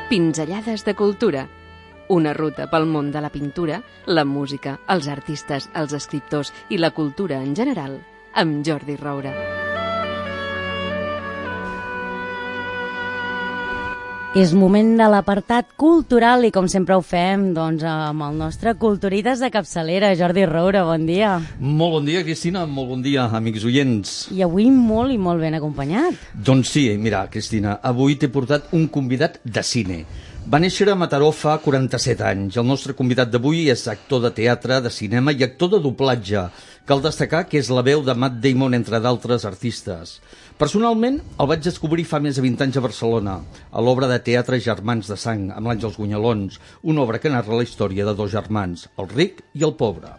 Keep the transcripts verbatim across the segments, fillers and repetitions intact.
Pinzellades de cultura. Una ruta pel món de la pintura, la música, els artistes, els escriptors i la cultura en general, amb Jordi Roura. És moment de l'apartat cultural i com sempre ho fem doncs, amb el nostre Culturitas de capçalera. Jordi Roura, bon dia. Molt bon dia, Cristina, molt bon dia, amics oients. I avui molt i molt ben acompanyat. Doncs sí, mira, Cristina, avui t'he portat un convidat de cine. Va néixer a Mataró fa quaranta-set anys. El nostre convidat d'avui és actor de teatre, de cinema i actor de doblatge. Cal destacar que és la veu de Matt Damon, entre d'altres artistes. Personalment, el vaig descobrir fa més de vint anys a Barcelona, a l'obra de teatre Germans de Sang, amb l'Àngels Gunyalons, una obra que narra la història de dos germans, el ric i el pobre.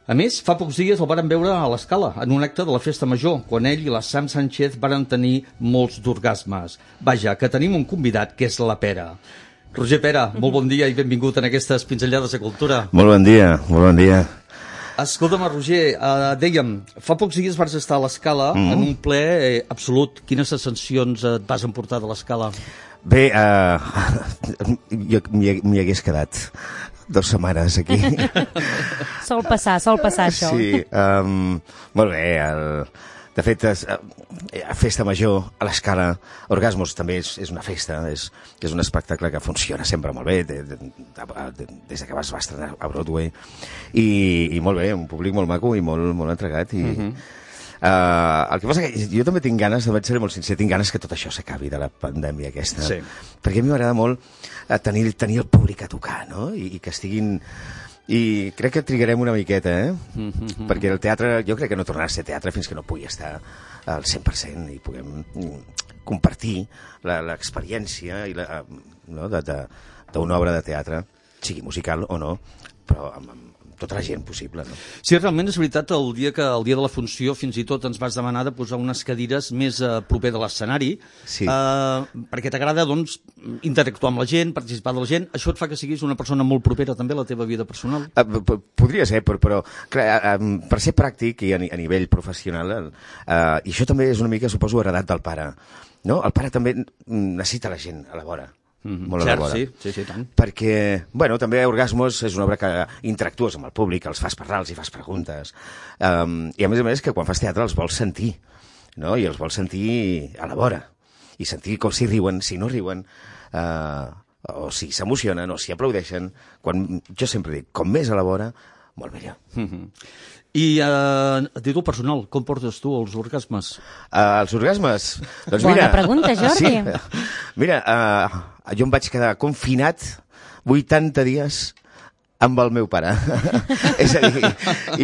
A més, fa pocs dies el varen veure a l'Escala, en un acte de la Festa Major, quan ell i la Sam Sánchez varen tenir molts d'orgasmes. Vaja, que tenim un convidat que és la Pera. Roger Pera, molt bon dia i benvingut en aquestes pinzellades de cultura. Molt bon dia, molt bon dia. Escolta'm, Roger, uh, dèiem, fa pocs dies vas estar a l'Escala mm -hmm. en un ple eh, absolut. Quines sensacions et vas emportar de l'Escala? Bé, uh, jo m'hi hagués quedat dues setmanes aquí. Sol passar, sol passar això. Sí, um, molt bé. El, de fet, és, a Festa Major, a l'Escala, Orgasmos també és, és una festa, és, és un espectacle que funciona sempre molt bé, de, de, de, de, des que es va estrenar a Broadway, i, i molt bé, un públic molt maco i molt, molt entregat. I, uh-huh. uh, el que passa que jo també tinc ganes, vaig ser molt sincer, tinc ganes que tot això s'acabi de la pandèmia aquesta, sí. Perquè a mi m'agrada molt tenir, tenir el públic a tocar, no? I, i que estiguin... I crec que trigarem una miqueta, eh? Mm-hmm. Perquè el teatre, jo crec que no tornarà a ser teatre fins que no pugui estar al cent per cent i puguem compartir l'experiència i la, no, d'una obra de teatre, sigui musical o no, però amb, amb tota la gent possible, no? Sí, realment és veritat, el dia que el dia de la funció fins i tot ens vas demanar de posar unes cadires més uh, proper de l'escenari, sí. uh, perquè t'agrada, doncs, interactuar amb la gent, participar de la gent. Això et fa que siguis una persona molt propera també a la teva vida personal? Uh, podria ser, però, però clar, uh, per ser pràctic i a, a nivell professional, uh, i això també és una mica, suposo, heredat del pare, no? El pare també necessita la gent a la vora. Mm-hmm. Molt Cert, sí, sí, sí, tant. Perquè, bueno, també Orgasmos és una obra que interactues amb el públic, els fas parlar, els hi fas preguntes, um, i a més a més que quan fas teatre els vols sentir, no? I els vols sentir a la vora, i sentir com si riuen, si no riuen, uh, o si s'emocionen, o si aplaudeixen. Quan, jo sempre dic, com més a la vora, molt millor. Mm-hmm. I uh, a títol personal, com portes tu els orgasmes? Uh, els orgasmes? Doncs Bona mira, pregunta, Jordi. Sí, mira, uh, jo em vaig quedar confinat vuitanta dies amb el meu pare. És a dir,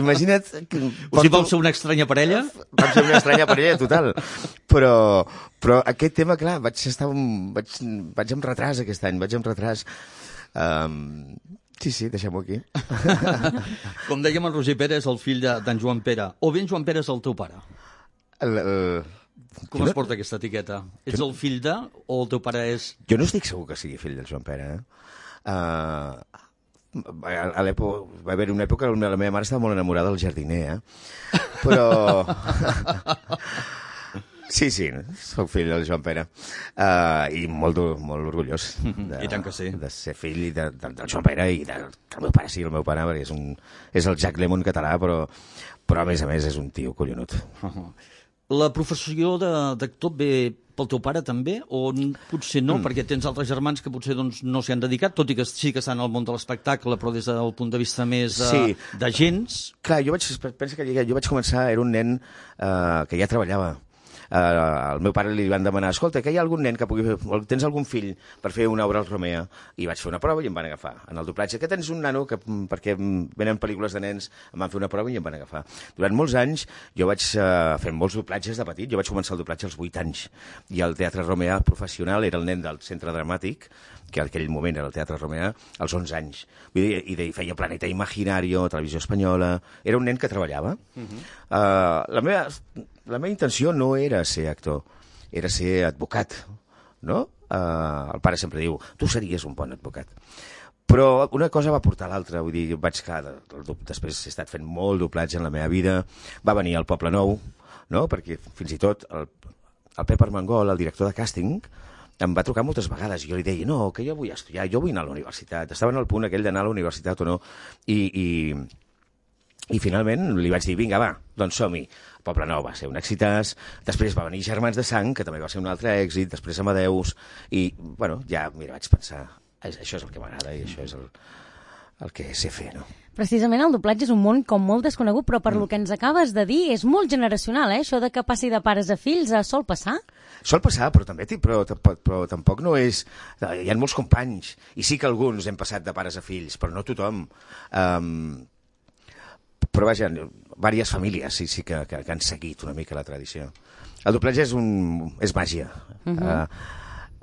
imagina't... Que o sigui, vam ser una estranya parella? Vam ser una estranya parella, total. Però, però aquest tema, clar, vaig estar... Un, vaig, vaig amb retras aquest any, vaig amb retras... Um, Sí, sí, deixem-ho aquí. Com dèiem, el Roger Pera és el fill d'en Joan Pera. O bé en Joan Pera és el teu pare? El, el... Com jo es no... porta aquesta etiqueta? Ets jo... el fill de o el teu pare és... Jo no estic segur que sigui fill del Joan Pera. Eh? Uh, a a l'època va haver una època on la meva mare estava molt enamorada del jardiner, eh? Però... Sí, sí, soc fill del Joan Pera uh, i molt, molt orgullós de, I tant que sí. de ser fill de, de, del Joan Pera i de, del meu pare, sí, el meu pare, perquè és, un, és el Jack Lemmon català, però, però a més a més és un tio collonut. Uh-huh. La professió d'actor ve pel teu pare també, o potser no, mm. perquè tens altres germans que potser doncs, no s'hi han dedicat, tot i que sí que estan al món de l'espectacle, però des del punt de vista més uh, sí. d'agents? Clar, jo vaig, pensa que jo vaig començar, era un nen uh, que ja treballava. Uh, al meu pare li van demanar, escolta, que hi ha algun nen que pugui fer, tens algun fill per fer una obra al Romea? I vaig fer una prova i em van agafar. En el doblatge, que tens un nano que, perquè venen pel·lícules de nens, em van fer una prova i em van agafar. Durant molts anys jo vaig uh, fer molts doblatges de petit, jo vaig començar el doblatge als vuit anys, i el Teatre Romea professional era el nen del Centre Dramàtic, que en aquell moment era el Teatre Romea, als onze anys. Vull dir, i feia Planeta Imaginario, Televisió Espanyola... Era un nen que treballava. Uh-huh. uh, la, meva, la meva intenció no era ser actor, era ser advocat, no? Uh, el pare sempre diu, tu series un bon advocat. Però una cosa va portar a l'altra, vull dir, vaig quedar... Després he estat fent molt doblatge en la meva vida, va venir al Poble Nou, no? Perquè fins i tot el, el Pep Armengol, el director de càsting, em va trucar moltes vegades i jo li deia, no, que jo vull estudiar, jo vull anar a la universitat. Estaven al punt aquell d'anar a la universitat o no. I, i, i finalment li vaig dir, vinga, va, doncs som-hi. Poblenou va ser un èxitàs, després va venir Germans de Sang, que també va ser un altre èxit, després Amadeus, i, bueno, ja, mira, vaig pensar, això és el que m'agrada i això és el, el que sé fer, no? Precisament el doblatge és un món com molt desconegut, però per mm. lo que ens acabes de dir és molt generacional, eh? Això de que passi de pares a fills, eh, sol passar? Sol passar, però també però, però, però tampoc no és... Hi ha molts companys, i sí que alguns hem passat de pares a fills, però no tothom. Um, però vaja, diverses famílies sí, sí que, que, que han seguit una mica la tradició. El doblatge és, un, és màgia. Uh-huh. uh,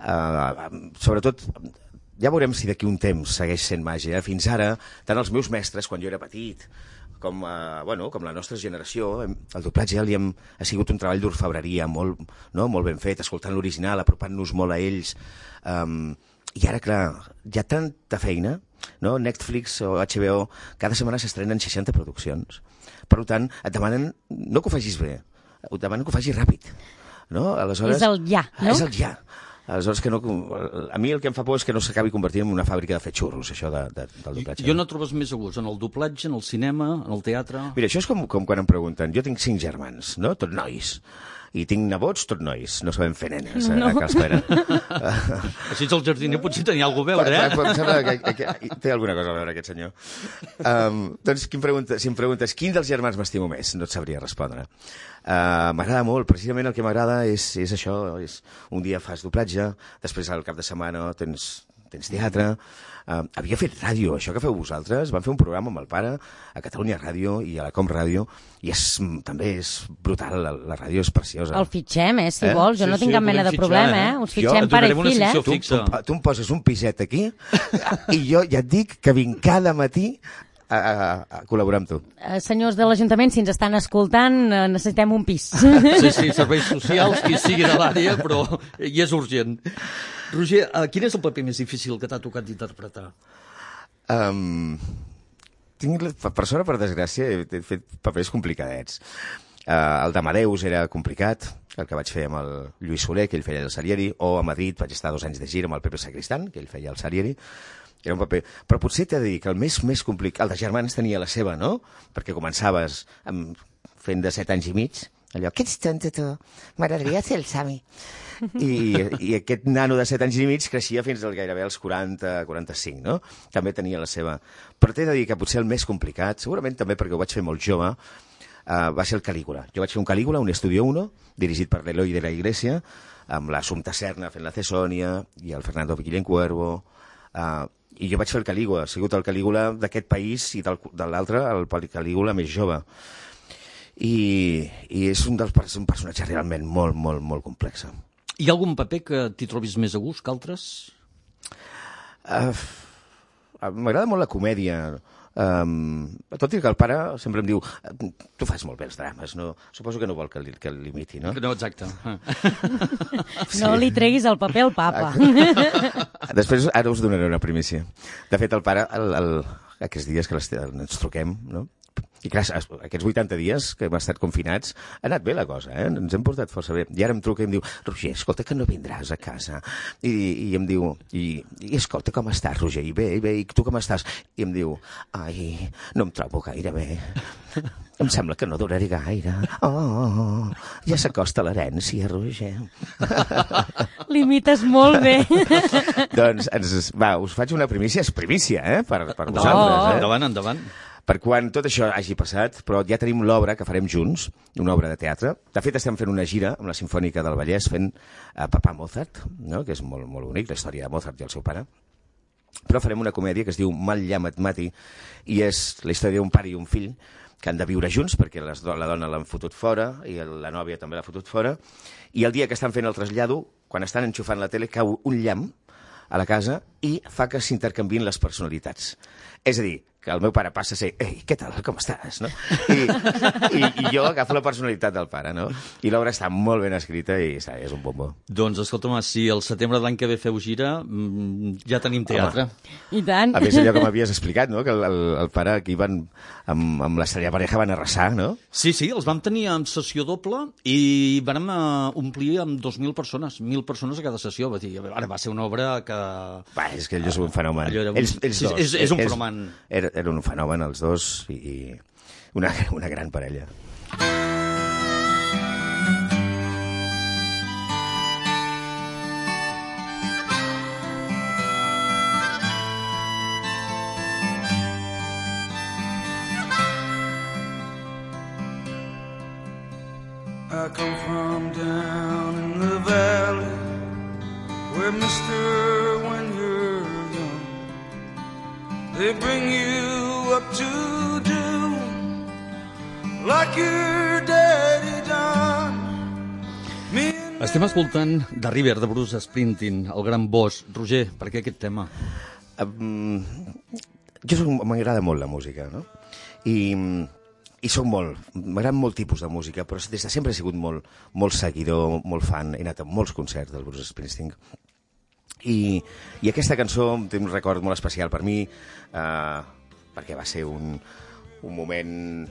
uh, sobretot... Ja veurem si d'aquí un temps segueix sent màgia. Fins ara, tant els meus mestres, quan jo era petit, com, eh, bueno, com la nostra generació, el doblatge ja li hem, ha sigut un treball d'orfebreria molt, no? Molt ben fet, escoltant l'original, apropant-nos molt a ells. Um, I ara, clar, hi ha tanta feina, no? Netflix o H B O, cada setmana s'estrenen seixanta produccions. Per tant, et demanen, no que ho facis bé, et demanen que ho facis ràpid. No? Aleshores, és el ja, no? És el ja. Aleshores, que no, a mi el que em fa por és que no s'acabi convertint en una fàbrica de fer xurros, això de, de, del doblatge. Jo no trobes més a gust en el doblatge, en el cinema, en el teatre... Mira, això és com, com quan em pregunten, jo tinc cinc germans, no? Tot nois. I tinc nebots, tot nois. No sabem fer nenes, no. a, a casa meva. Així el jardiner potser tenia alguna cosa a veure, eh? Em sembla que, que, que té alguna cosa a veure, aquest senyor. Um, doncs, qui em pregunta, si em preguntes quin dels germans m'estimo més, no et sabria respondre. Uh, m'agrada molt, precisament el que m'agrada és, és això, és un dia fas doblatge, després al cap de setmana tens, tens teatre. Uh, havia fet ràdio, això que feu vosaltres, van fer un programa amb el pare a Catalunya Ràdio i a la Com Ràdio, i és, també és brutal, la, la ràdio és preciosa. El fitxem, eh, si eh? vols, jo sí, no tinc sí, cap mena de problema, eh? Us fitxem jo, pare i fill, eh? Tu, tu, tu em poses un piset aquí i jo ja et dic que vinc cada matí a, a, a col·laborar amb tu. Uh, senyors de l'Ajuntament, si ens estan escoltant, uh, necessitem un pis. Sí, sí, serveis socials, qui sigui de l'àrea, però hi és urgent. Roger, uh, quin és el paper més difícil que t'ha tocat d'interpretar? Um, tinc, per sort o per desgràcia, he fet papers complicadets. Uh, el d'Amadeus era complicat, el que vaig fer amb el Lluís Soler, que ell feia el Salieri, o a Madrid vaig estar dos anys de gira amb el Pepe Sacristán, que ell feia el Salieri. Era un paper... Però potser t'he de dir que el més, més complicat... El de Germans tenia la seva, no? Perquè començaves amb, fent de set anys i mig, allò, què ets tonto tu? M'agradaria ser el Sami. I, I aquest nano de set anys i mig creixia fins al gairebé als quaranta, quaranta-cinc, no? També tenia la seva... Però t'he de dir que potser el més complicat, segurament també perquè ho vaig fer molt jove, uh, va ser el Calígula. Jo vaig fer un Calígula, un Estudio uno, dirigit per l'Eloi de la Iglesia, amb l'Assumpta Serna fent la Cesònia, i el Fernando Guillén Cuervo... Uh, I jo vaig fer el Calígula, ha sigut el Calígula d'aquest país i del, de l'altre el Calígula més jove. I, i és un, dels, un personatge realment molt, molt, molt complex. Hi ha algun paper que t'hi trobis més a gust que altres? Uh, M'agrada molt la comèdia. Um, tot i que el pare sempre em diu tu fas molt bé els drames, no? Suposo que no vol que, li, que l'imiti, no? No, exacte. Sí. No li treguis el paper al papa. Després ara us donaré una primícia. De fet, el pare, el, el, aquests dies que ens truquem, no? I clar, aquests vuitanta dies que hem estat confinats ha anat bé la cosa, eh? Ens hem portat força bé. I ara em truca i em diu, Roger, escolta, que no vindràs a casa. I, i em diu, i, i escolta, com estàs, Roger? I bé, i bé, i tu com estàs? I em diu, ai, no em trobo gaire bé. Em sembla que no duraré gaire. Oh, ja s'acosta l'herència, Roger. L'imites molt bé. Doncs, ens, va, us faig una primícia, és primícia, eh? Per, per vosaltres, oh, eh? Endavant, endavant. Per quan tot això hagi passat, però ja tenim l'obra que farem junts, una obra de teatre. De fet, estem fent una gira amb la Simfònica del Vallès, fent uh, Papà Mozart, no? Que és molt, molt bonic, la història de Mozart i el seu pare. Però farem una comèdia que es diu Mal llamat Mati, i és la història d'un pare i un fill que han de viure junts, perquè les, la dona l'han fotut fora, i la nòvia també l'ha fotut fora, i el dia que estan fent el trasllado, quan estan enxufant la tele, cau un llamp a la casa i fa que s'intercanvien les personalitats. És a dir, que el meu pare passa a ser, ei, què tal, com estàs? No? I, i, I jo agafo la personalitat del pare, no? I l'obra està molt ben escrita i és un bombo. Doncs, escolta'm, si el setembre de l'any que ve feu gira, ja tenim teatre. Home. I tant. A més, allò que m'havies explicat, no? Que el, el, el pare aquí van, amb, amb l'Estrella Pareja van arrasar, no? Sí, sí, els vam tenir en sessió doble i vam uh, omplir amb dos mil persones, mil persones a cada sessió. Va dir, ara va ser una obra que... Va, és que allò és un fenomen. Allò un... Ells, ells dos. És, és un fenomen. Era, era un fenomen, els dos, i, i una, una gran parella. I come from down in the valley where mister when you're young they bring you up to do like your daddy done. Me and Estem escoltant The River, de Bruce Springsteen, el gran boss. Roger, per què aquest tema? Um, jo soc, m'agrada molt la música, no? I, i soc molt, m'agrada molt tipus de música, però des de sempre he sigut molt, molt seguidor, molt fan, he anat a molts concerts del Bruce Springsteen. I, i aquesta cançó té un record molt especial per mi, eh, perquè va ser un, un moment...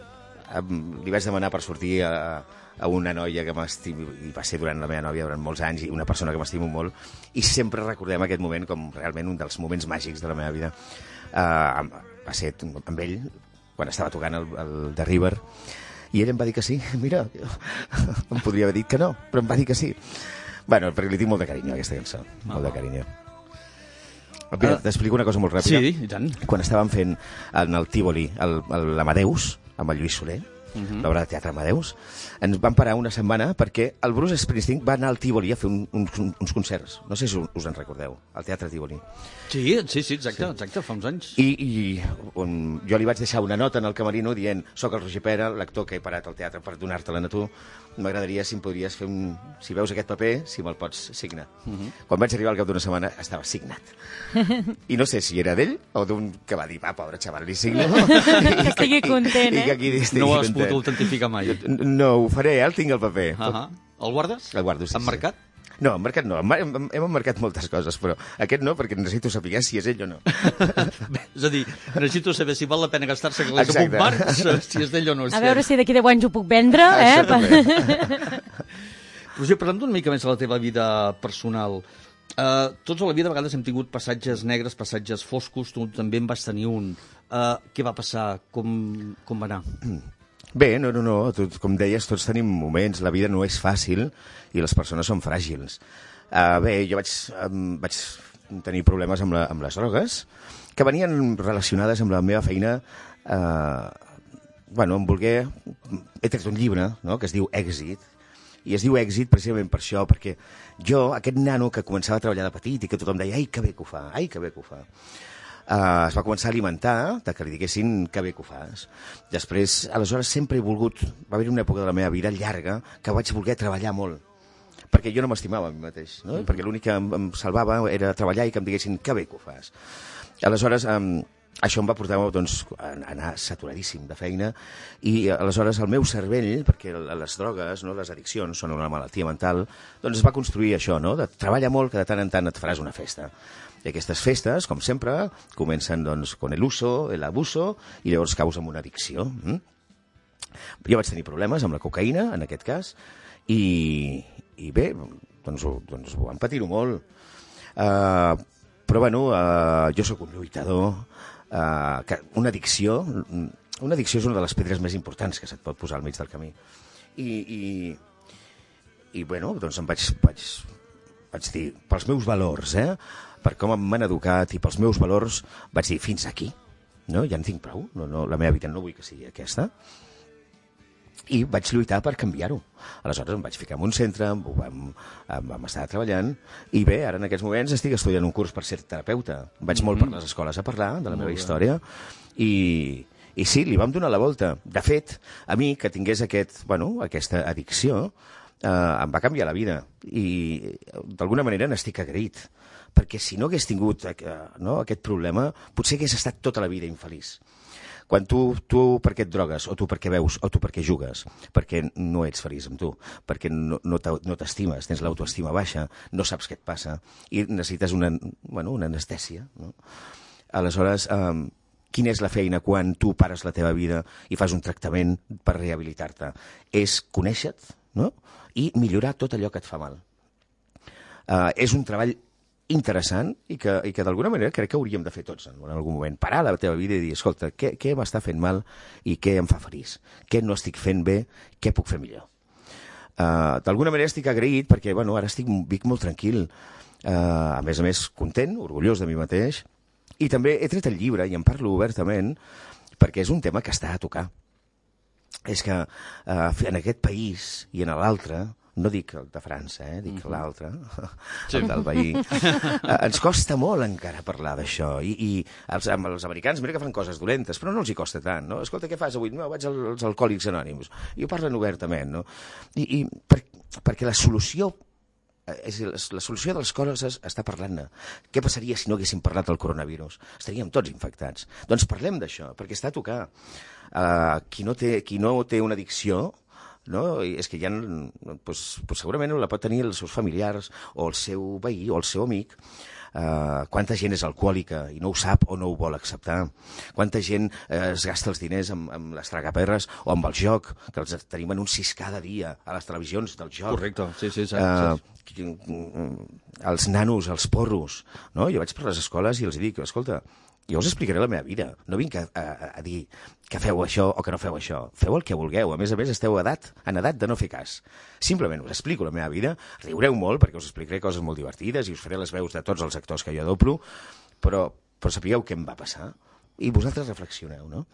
Eh, li vaig demanar per sortir a, a una noia que m'estimo, i va ser durant la meva nòvia durant molts anys, i una persona que m'estimo molt, i sempre recordem aquest moment com realment un dels moments màgics de la meva vida. Eh, va ser amb ell, quan estava tocant el, el The River, i ell em va dir que sí. Mira, em podria haver dit que no, però em va dir que sí. Bueno, perquè li tinc molt de carinyo, aquesta cançó. Ah. Molt de carinyo. Mira, uh, t'explico una cosa molt ràpida. Sí, i tant. Quan estàvem fent en el Tívoli l'Amadeus, amb el Lluís Soler, uh -huh. l'obra de teatre Amadeus, ens van parar una setmana perquè el Bruce Springsteen va anar al Tívoli a fer un, uns, uns concerts. No sé si us en recordeu, al Teatre Tívoli. Sí, sí, sí, exacte, sí. exacte, fa uns anys. I, i on, jo li vaig deixar una nota en el camerino dient soc el Roger Pera, l'actor que he parat al teatre per donar-te-la a tu. M'agradaria si em podries fer un... Si veus aquest paper, si me'l pots signar. Uh -huh. Quan vaig arribar al cap d'una setmana, estava signat. I no sé si era d'ell o d'un que va dir, va, pobre xaval, li signo. Que estigui content, eh? I que aquí estigui no ho has content. pogut autentificar mai. No, ho faré, eh? El tinc al paper. Uh -huh. El guardes? El guardo, sí. Emmarcat? Sí. No, emmarcat no. Hem, hem emmarcat moltes coses, però aquest no, perquè necessito saber si és ell o no. Bé, és a dir, necessito saber si val la pena gastar-se calés amb un marc, si és d'ell o no és A veure si d'aquí deu anys ho puc vendre, eh? Roger, parlem una mica més de la teva vida personal. Uh, tots a la vida a vegades hem tingut passatges negres, passatges foscos, tu també en vas tenir un. Uh, què va passar? Com, com va anar? Bé, no, no, no. Tot, com deies, tots tenim moments. La vida no és fàcil i les persones són fràgils. Uh, bé, jo vaig, um, vaig tenir problemes amb, la, amb les drogues que venien relacionades amb la meva feina. Uh, bueno, em volgué... He tret un llibre, no?, que es diu Èxit, i es diu Èxit precisament per això, perquè jo, aquest nano que començava a treballar de petit i que tothom deia ai, que bé que ho fa, ai, que bé que ho fa, uh, es va començar a alimentar de que li diguessin que bé que ho fas. Després, aleshores, sempre he volgut... Va haver una època de la meva vida llarga que vaig voler treballar molt, perquè jo no m'estimava a mi mateix, no? Mm-hmm. Perquè l'únic que em, em salvava era treballar i que em diguessin que bé que ho fas. Aleshores, um, això em va portar doncs, a anar saturadíssim de feina i aleshores el meu cervell, perquè les drogues, no, les addiccions són una malaltia mental, doncs es va construir això, no? De treballar molt, que de tant en tant et faràs una festa. I aquestes festes, com sempre, comencen doncs, con el uso, el abuso, i llavors caus amb una addicció. Mm? Jo vaig tenir problemes amb la cocaïna, en aquest cas, i, i bé, doncs, doncs vam patir-ho molt. Uh, però bueno, uh, jo sóc un lluitador, uh, que una addicció, una addicció és una de les pedres més importants que se't pot posar al mig del camí. I, i, i bueno, doncs em vaig, vaig, vaig dir, pels meus valors, eh? Per com m'han educat i pels meus valors, vaig dir, fins aquí, no? Ja en tinc prou, no, no, la meva vida no vull que sigui aquesta. I vaig lluitar per canviar-ho. Aleshores em vaig ficar en un centre, vam, vam estar treballant, i bé, ara en aquests moments estic estudiant un curs per ser terapeuta. Vaig mm-hmm. molt per les escoles a parlar de la meva història, i, i sí, li vam donar la volta. De fet, a mi, que tingués aquest, bueno, aquesta addicció, eh, em va canviar la vida i d'alguna manera n'estic agraït, perquè si no hagués tingut eh, no, aquest problema, potser hagués estat tota la vida infeliç. Quan tu, tu per què et drogues, o tu per què veus, o tu per què jugues, perquè no ets feliç amb tu, perquè no, no t'estimes, tens l'autoestima baixa, no saps què et passa, i necessites una, bueno, una anestèsia. No? Aleshores, eh, quina és la feina quan tu pares la teva vida i fas un tractament per rehabilitar-te? És conèixer-te, no? I millorar tot allò que et fa mal. Eh, és un treball interessant i que, i que d'alguna manera crec que hauríem de fer tots en, en algun moment. Parar la teva vida i dir, escolta, què, què m'està fent mal i què em fa feliç? Què no estic fent bé? Què puc fer millor? Uh, d'alguna manera estic agraït perquè bueno, ara estic vic molt tranquil, uh, a més a més content, orgullós de mi mateix, i també he tret el llibre i en parlo obertament perquè és un tema que està a tocar. És que uh, en aquest país i en l'altre, no dic el de França, eh? Dic mm-hmm. l'altre, sí. El del veí. Ens costa molt encara parlar d'això. I, i els, els americans, mira que fan coses dolentes, però no els hi costa tant, no? Escolta, què fas avui? No, vaig als Alcohòlics Anònims. I ho parlen obertament, no? I, i per, perquè la solució, és, la solució de les coses està parlant-ne. Què passaria si no haguéssim parlat del coronavirus? Estaríem tots infectats. Doncs parlem d'això, perquè està a tocar. Uh, qui, no té, qui no té una addicció, no? I és que ja doncs, doncs segurament la pot tenir els seus familiars o el seu veí o el seu amic. Uh, quanta gent és alcohòlica i no ho sap o no ho vol acceptar, quanta gent uh, es gasta els diners amb, amb les tragaperres o amb el joc, que els tenim en un sis cada dia a les televisions del joc. Correcte, sí, sí, exacte. Uh, els nanos, els porros, no? Jo vaig per les escoles i els dic, escolta, jo us explicaré la meva vida, no vinc a, a, a dir que feu això o que no feu això, feu el que vulgueu, a més a més esteu edat, en edat de no fer cas. Simplement us explico la meva vida, riureu molt perquè us explicaré coses molt divertides i us faré les veus de tots els actors que jo adoplo, però, però sapigueu què em va passar i vosaltres reflexioneu, no?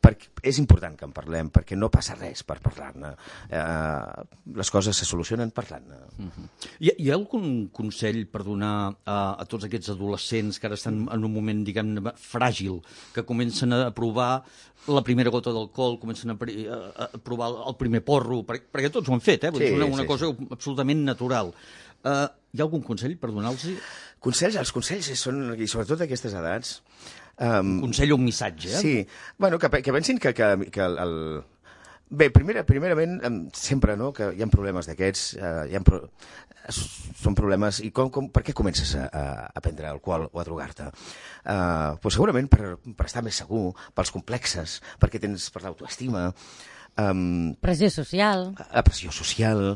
Perquè és important que en parlem, perquè no passa res per parlar-ne. Eh, les coses se solucionen parlant-ne. Uh-huh. Hi, hi ha algun consell per donar a, a tots aquests adolescents que ara estan en un moment, diguem-ne, fràgil, que comencen a provar la primera gota d'alcohol, comencen a, a, a provar el primer porro, perquè, perquè tots ho han fet, eh? Sí, és una, una sí, cosa sí. absolutament natural. Uh, hi ha algun consell per donar-los? Consells, els consells són, i sobretot a aquestes edats... Um, un consell o un missatge, eh? Sí, bueno, que, que pensin que, que, que el, el... Bé, primera, primerament, sempre, no?, que hi ha problemes d'aquests, uh, hi ha pro... són problemes... I com, com, per què comences a, a prendre alcohol o a drogar-te? Uh, pues segurament per, per estar més segur, pels complexes, perquè tens per l'autoestima... Um, pressió social. La pressió social...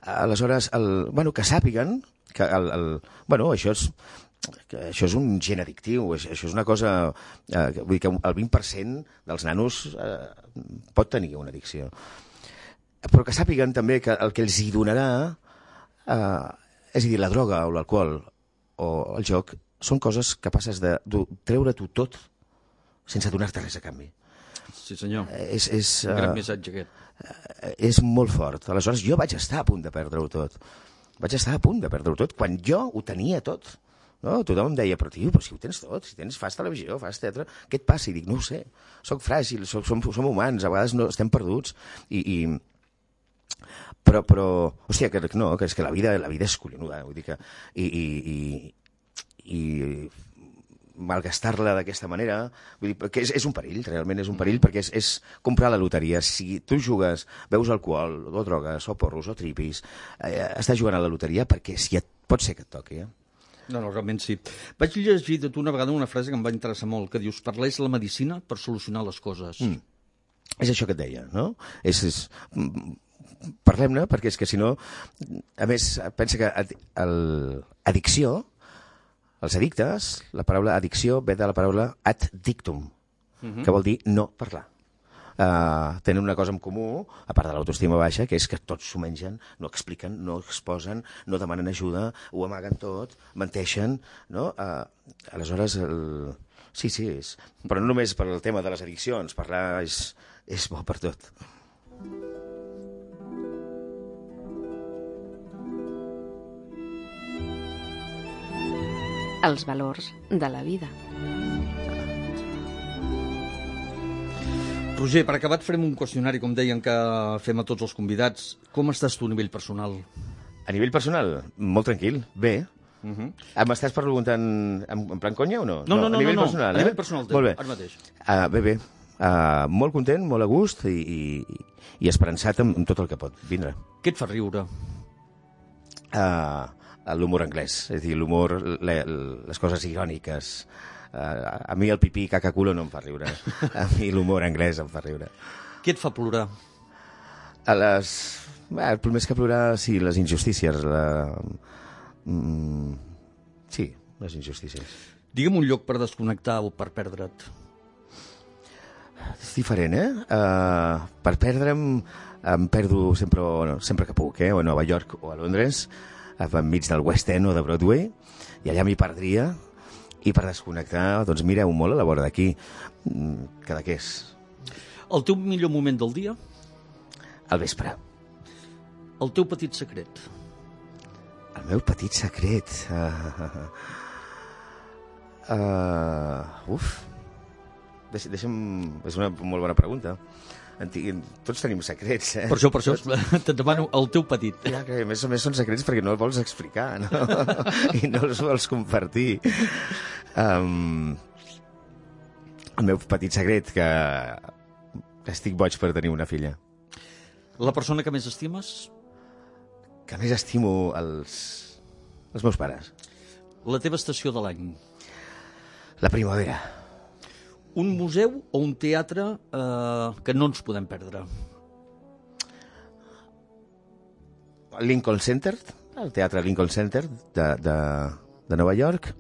Aleshores, el, bueno, que sàpiguen que el, el, bueno, això és, que això és un gen addictiu, això és una cosa... Eh, vull dir que el vint per cent dels nanos eh, pot tenir una addicció. Però que sàpiguen també que el que els hi donarà, eh, és a dir, la droga o l'alcohol o el joc, són coses capaces de, de treure-t'ho tot sense donar-te res a canvi. Sí, senyor. És, és, un gran uh, missatge, aquest. És molt fort. Aleshores, jo vaig estar a punt de perdre-ho tot. Vaig estar a punt de perdre-ho tot quan jo ho tenia tot. No? Tothom em deia, però tio, però si ho tens tot, si tens, fas televisió, fas teatre, què et passa? I dic, no ho sé, soc fràgil, soc, som, som humans, a vegades no, estem perduts. I, i... Però, però, hòstia, que no, que és que la vida, la vida és collonuda, vull dir que... I, i, i, i malgastar-la d'aquesta manera, vull dir, que és, és un perill, realment és un perill, perquè és, és comprar la loteria. Si tu jugues, veus alcohol, o drogues, o porros, o tripis, eh, estàs jugant a la loteria perquè si et, pot ser que et toqui, eh? No, no, realment sí. Vaig llegir de tu una vegada una frase que em va interessar molt, que dius, parlés la medicina per solucionar les coses. Mm. És això que et deia, no? És... és parlem-ne, perquè és que si no... A més, pensa que ad, el, addicció, els addictes, la paraula addicció ve de la paraula ad dictum, uh-huh. que vol dir no parlar. Uh, tenen una cosa en comú, a part de l'autoestima baixa, que és que tots s'ho mengen, no expliquen, no exposen, no demanen ajuda, ho amaguen tot, menteixen, no? Uh, aleshores, el... sí, sí, és... però no només per el tema de les addiccions, parlar és, és bo per tot. Els valors de la vida. Roger, per acabar et farem un qüestionari, com deien que fem a tots els convidats. Com estàs tu a nivell personal? A nivell personal, molt tranquil, bé. Uh -huh. M'estàs preguntant en, en plan conya o no? No, no, no. A nivell no, no. personal, A eh? nivell personal, molt bé. Ara mateix. Uh, bé, bé. Uh, molt content, molt a gust i, i, i esperançat amb, amb tot el que pot vindre. Què et fa riure? Uh, l'humor anglès, és a dir, l'humor, le, les coses iròniques. Uh, a mi el pipí cacaculo no em fa riure. A mi l'humor anglès em fa riure. Què et fa plorar? A les... Bé, més que plorar, sí, les injustícies. La... Mm, sí, les injustícies. Digue'm un lloc per desconnectar o per perdre't. És diferent, eh? Uh, per perdre'm em perdo sempre, no, sempre que puc, eh? O a Nova York o a Londres, enmig del West End o de Broadway, i allà m'hi perdria. I per desconnectar, doncs mireu molt a la vora d'aquí, Cadaqués. El teu millor moment del dia? Al vespre. El teu petit secret? El meu petit secret... Uh, uh, uf... Deixa, deixa'm... És una molt bona pregunta. Antic... Tots tenim secrets, eh? Per això, per això, te't demano el teu petit. Ja, que a més a més són secrets perquè no els vols explicar, no? I no els vols compartir. Um, el meu petit secret, que estic boig per tenir una filla. La persona que més estimes? Que més estimo els, els meus pares. La teva estació de l'any? La primavera. Un museu o un teatre eh, que no ens podem perdre? El Lincoln Center, el teatre Lincoln Center de, de, de Nova York,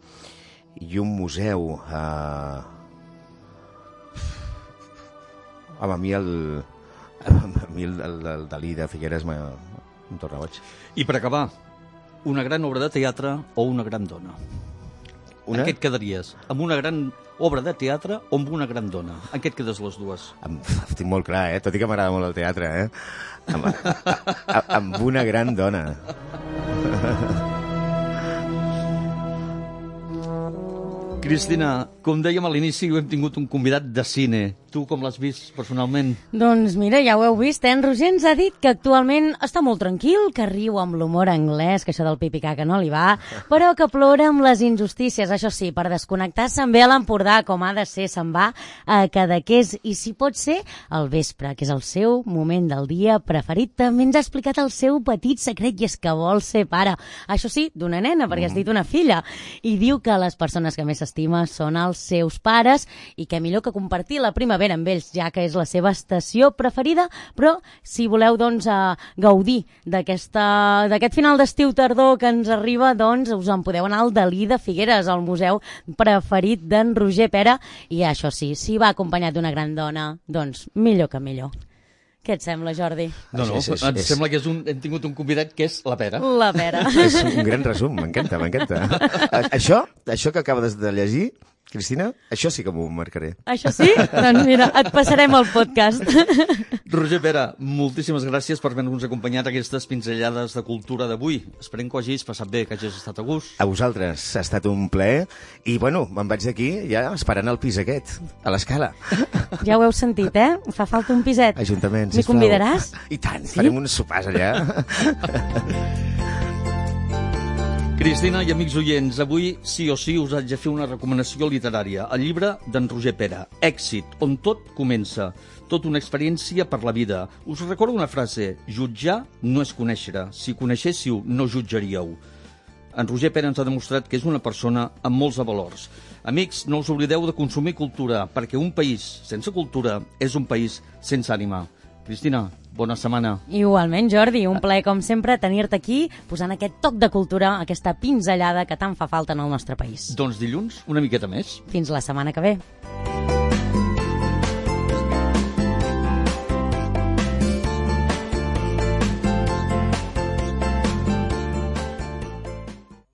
i un museu... Eh... Home, a mi el, a mi el, el, el Dalí de Figueres em torna boig. I per acabar, una gran obra de teatre o una gran dona? Una? En què et quedaries? Amb una gran obra de teatre o amb una gran dona? En què et quedes les dues? Em, estic molt clar, eh? Tot i que m'agrada molt el teatre, eh? Amb, a, amb una gran dona. Cristina, com dèiem a l'inici, hem tingut un convidat de cine. Tu com l'has vist personalment? Doncs mira, ja ho heu vist, eh? En Roger ens ha dit que actualment està molt tranquil, que riu amb l'humor anglès, que això del pipicaca no li va, però que plora amb les injustícies. Això sí, per desconnectar se'n ve a l'Empordà, com ha de ser, se'n va a Cadaqués, i si pot ser, al vespre, que és el seu moment del dia preferit. També ens ha explicat el seu petit secret, i és que vol ser pare. Això sí, d'una nena, perquè has dit una filla. I diu que les persones que més s'estima són els seus pares, i que millor que compartir la primavera amb ells, ja que és la seva estació preferida, però si voleu doncs uh, gaudir d'aquest final d'estiu-tardor que ens arriba, doncs us en podeu anar al Dalí de Figueres, el museu preferit d'en Roger Pera, i això sí, si va acompanyat d'una gran dona, doncs millor que millor. Què et sembla, Jordi? No, no, és, és, em és... sembla que és un, hem tingut un convidat que és la Pera. La Pera. És un gran resum, m'encanta, m'encanta. Això, això que acabes de llegir, Cristina, això sí que m'ho marcaré. Això sí? Doncs mira, et passarem el podcast. Roger Pera, moltíssimes gràcies per haver-nos acompanyat a aquestes pinzellades de cultura d'avui. Esperem que ho hagis passat bé, que hagis estat a gust. A vosaltres, ha estat un plaer. I, bueno, me'n vaig d'aquí ja esperant el pis aquest, a l'escala. Ja ho heu sentit, eh? Fa falta un piset. Ajuntament, sisplau. M'hi convidaràs? I tant, sí? Farem uns sopars allà. Cristina i amics oients, avui sí o sí us haig de fer una recomanació literària. El llibre d'en Roger Pera, Èxit, on tot comença. Tot una experiència per la vida. Us recordo una frase: jutjar no és conèixer. Si coneixéssiu, no jutjaríeu. En Roger Pera ens ha demostrat que és una persona amb molts valors. Amics, no us oblideu de consumir cultura, perquè un país sense cultura és un país sense ànima. Cristina, bona setmana. Igualment, Jordi, un plaer com sempre tenir-te aquí posant aquest toc de cultura, aquesta pinzellada que tant fa falta en el nostre país. Doncs dilluns, una miqueta més. Fins la setmana que ve.